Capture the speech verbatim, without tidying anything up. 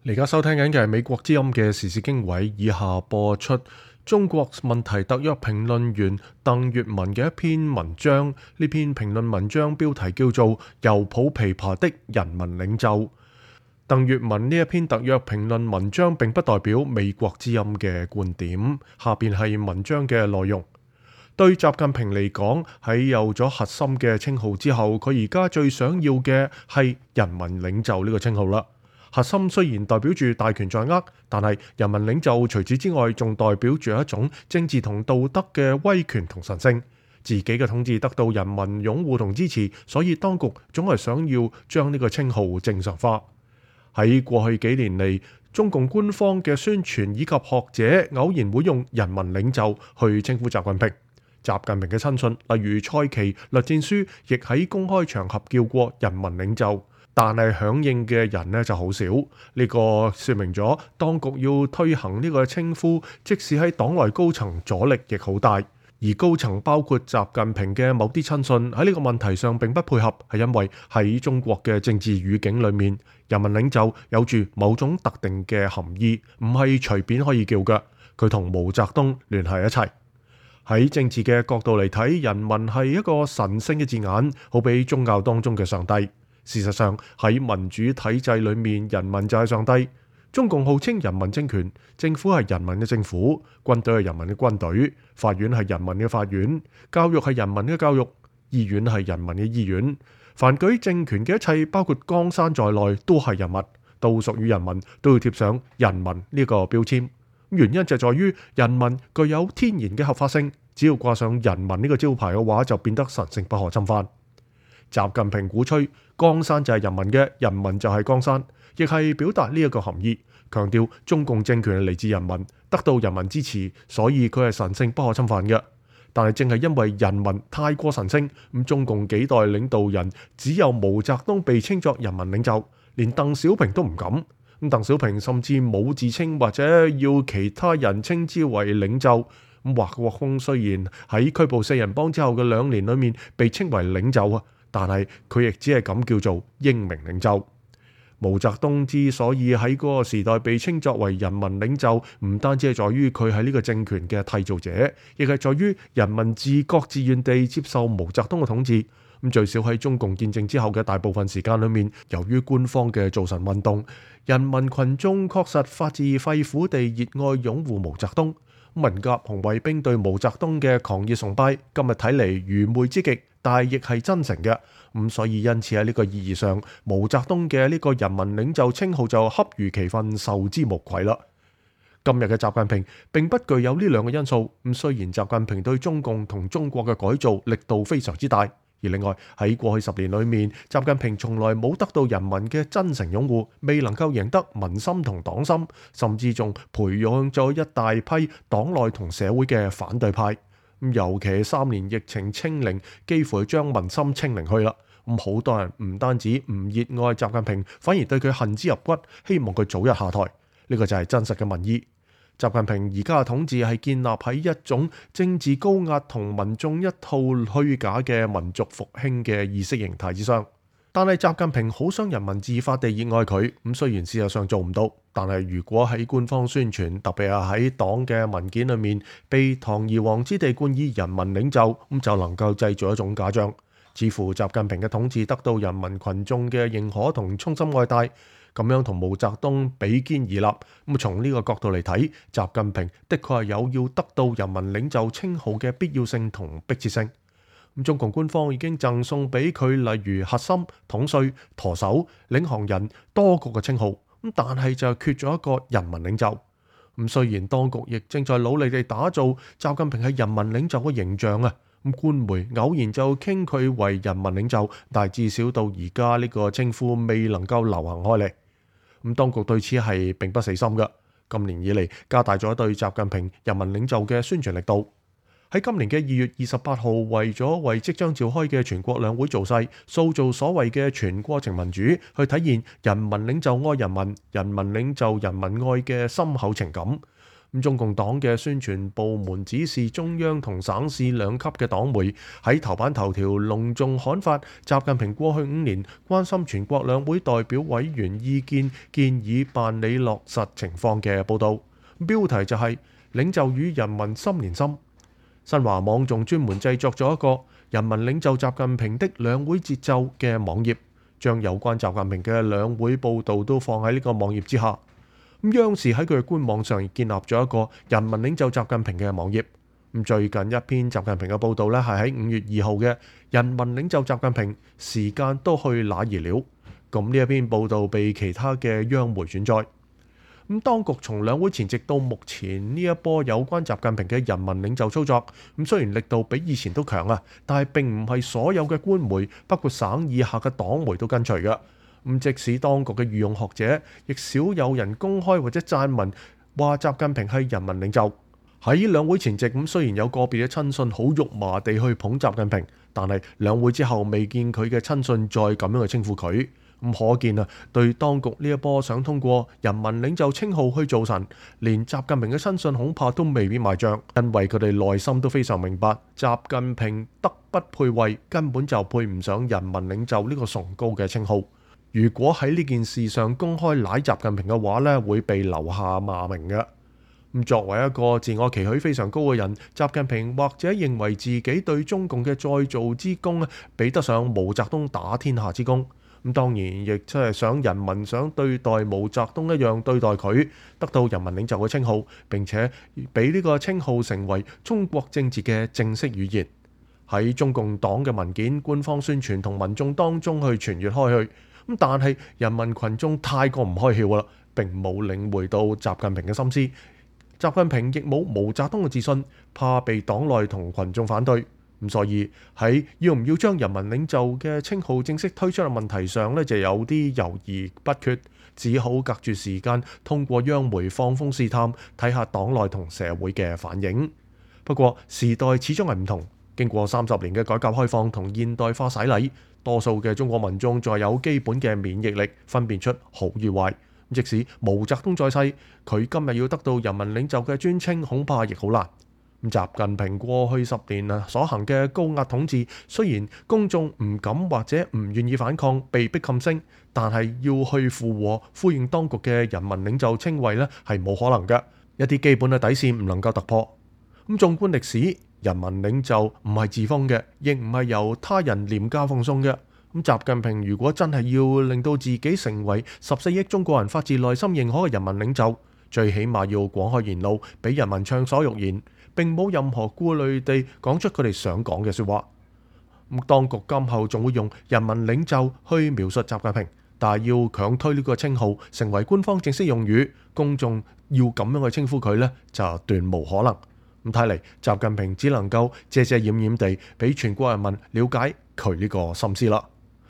你而家收聽緊嘅係美國之音嘅時事經緯，以下播出中國問題特約評論員鄧粵文嘅一篇文章。呢篇評論文章標題叫做《猶抱琵琶的人民領袖》。鄧粵文呢一篇特約評論文章並不代表美國之音嘅觀點。下邊係文章嘅內容。對習近平嚟講，喺有咗核心嘅稱號之後，佢而家最想要嘅係人民領袖呢個稱號啦。核心雖然代表住大權在握，但係人民領袖除此之外，仲代表住一種政治同道德嘅威權同神聖。自己嘅統治得到人民擁護同支持，所以當局總係想要將呢個稱號正常化。喺過去幾年嚟，中共官方嘅宣傳以及學者偶然會用人民領袖去稱呼習近平。習近平嘅親信，例如蔡奇、栗戰書，亦喺公開場合叫過人民領袖。但係響應嘅人呢就好少，呢、這個說明咗當局要推行呢個稱呼，即使喺黨內高層阻力亦好大。而高層包括習近平嘅某啲親信喺呢個問題上並不配合，係因為喺中國嘅政治語境裏面，人民領袖有住某種特定嘅含義，唔係隨便可以叫嘅。佢同毛澤東聯繫一齊。喺政治嘅角度嚟睇，人民係一個神聖嘅字眼，好比宗教當中嘅上帝。事實上喺民主體制裏面，人民就係上帝。中共號稱人民政權，政府係人民嘅政府，軍隊係人民嘅軍隊，法院係人民嘅法院，教育係人民嘅教育，醫院係人民嘅醫院。凡舉政權嘅一切，包括江山在內，都係人民，都屬於人民，都要貼上人民呢個標籤。原因就在於人民具有天然嘅合法性，只要掛上人民呢個招牌嘅話，就變得神聖不可侵犯。習近平鼓吹江山就係人民嘅，人民就係江山，亦係表達呢一個含義，強調中共政權係嚟自人民，得到人民支持，所以佢係神聖不可侵犯嘅。但係正係因為人民太過神聖，咁中共幾代領導人只有毛澤東被稱作人民領袖，連鄧小平都唔敢。咁鄧小平甚至冇自稱或者要其他人稱之為領袖。咁華國鋒雖然喺拘捕四人幫之後嘅兩年裏面被稱為領袖啊，但係佢亦只係咁叫做英明領袖。毛澤東之所以喺嗰個時代被稱作為人民領袖，唔單止係在於佢係呢個政權嘅締造者，亦係在於人民自覺自願地接受毛澤東嘅統治。咁最少喺中共建政之後嘅大部分時間裏面，由於官方嘅造神運動，人民群眾確實發自肺腑地熱愛擁護毛澤東。文革紅衛兵對毛澤東嘅狂熱崇拜，今日睇嚟愚昧之極，但係亦係真誠嘅。咁所以因此喺呢個意義上，毛澤東嘅呢個人民領袖稱號就恰如其分，受之無愧啦。今日嘅習近平並不具有呢兩個因素。咁雖然習近平對中共同中國嘅改造力度非常之大，而另外喺過去十年裏面，習近平從來冇得到人民嘅真誠擁護，未能夠贏得民心同黨心，甚至仲培養咗一大批黨內同社會嘅反對派。尤其三年疫情清零，幾乎係將民心清零去啦。咁好多人唔單止唔熱愛習近平，反而對佢恨之入骨，希望佢早日下台。呢個就係真實嘅民意。習近平而家嘅統治係建立喺一種政治高壓同民眾一套虛假嘅民族復興嘅意識形態之上。但係習近平好想人民自發地熱愛佢，咁雖然事實上做唔到，但係如果喺官方宣傳，特別係喺黨嘅文件裏面被堂而皇之地冠以人民領袖，咁就能夠製造一種假象，似乎習近平嘅統治得到人民群眾嘅認可同衷心愛戴。咁樣同毛澤東比肩而立，咁從呢個角度嚟睇，習近平的確係有要得到人民領袖稱號嘅必要性同迫切性。咁中共官方已經贈送俾佢例如核心、統帥、舵手、領航人多個嘅稱號，咁但係就缺咗一個人民領袖。咁雖然當局亦正在努力地打造習近平係人民領袖嘅形象啊，咁官媒偶然就傾佢為人民領袖，但係至少到而家呢個稱呼未能夠流行開嚟。咁當局對此係並不死心嘅，今年以嚟加大咗對習近平人民領袖嘅宣傳力度。喺今年嘅二月二十八號，為咗為即將召開嘅全國兩會造勢，塑造所謂嘅全過程民主，去體現人民領袖愛人民、人民領袖人民愛嘅深厚情感。咁中共黨嘅宣傳部門指示中央同省市兩級嘅黨媒喺頭版頭條隆重刊發習近平過去五年關心全國兩會代表委員意見建議辦理落實情況嘅報導，標題就係領袖與人民心連心。新華網仲專門製作咗一個人民領袖習近平的兩會節奏嘅網頁，將有關習近平嘅兩會報導都放喺呢個網頁之下。咁央視喺佢嘅官網上建立咗一個人民領袖習近平嘅網頁。咁最近一篇習近平嘅報導呢，係喺五月二號嘅人民領袖習近平時間都去哪兒了。咁呢一篇報導被其他嘅央媒轉載。咁當局從兩會前夕到目前呢一波有關習近平嘅人民領袖操作，咁雖然力度比以前都強啊，但係並唔係所有嘅官媒，包括省以下嘅黨媒都跟隨嘅。咁即使當局嘅御用學者，亦少有人公開或者撰文話習近平係人民領袖。喺兩會前夕，咁雖然有個別嘅親信好肉麻地去捧習近平，但係兩會之後未見佢嘅親信再咁樣去稱呼佢。咁可見啊，對當局呢一波想通過人民領袖稱號去做神，連習近平嘅親信恐怕都未必買賬，因為佢哋內心都非常明白，習近平德不配位，根本就配唔上人民領袖呢個崇高嘅稱號。如果喺呢件事上公開賴習近平嘅話呢，會被留下罵名嘅。咁作為一個自我期許非常高嘅人，習近平或者認為自己對中共嘅再造之功咧，比得上毛澤東打天下之功。咁當然亦即係想人民想對待毛澤東一樣對待佢，得到人民領袖嘅稱號，並且俾呢個稱號成為中國政治嘅正式語言，喺中共黨嘅文件、官方宣傳同民眾當中去傳閱開去。咁但係人民群眾太過唔開竅啦，並冇領會到習近平嘅心思。習近平亦冇毛澤東嘅自信，怕被黨內同群眾反對。咁所以喺要唔要將人民領袖嘅稱號正式推出嘅問題上呢，就有啲猶豫不決，只好隔住時間通過央媒放風試探，睇下黨內同社會嘅反應。不過時代始終係唔同，經過三十年嘅改革開放同現代化洗禮，多數嘅中國民眾再有基本嘅免疫力，分辨出好與壞。即使毛澤東在世，佢今日要得到人民領袖嘅尊稱，恐怕亦好難。習近平過去十年啊所行嘅高壓統治，雖然公眾唔敢或者唔願意反抗，被迫噤聲，但係要去附和呼應當局嘅人民領袖稱謂呢，係冇可能嘅。一啲基本嘅底線唔能夠突破。咁縱觀歷史，人民領袖唔係自封嘅，亦唔係由他人廉價奉送嘅。咁習近平如果真係要令到自己成為十四億中國人發自內心認可嘅人民領袖，最起碼要廣開言路，俾人民暢所欲言，並冇任何顧慮地講出佢哋想講嘅說話。咁當局今後仲會用人民領袖去描述習近平，但係要強推呢個稱號成為官方正式用語，公眾要咁樣去稱呼佢呢，就斷無可能。咁睇嚟，習近平只能夠遮遮掩掩地俾全國人民了解佢呢個心思啦。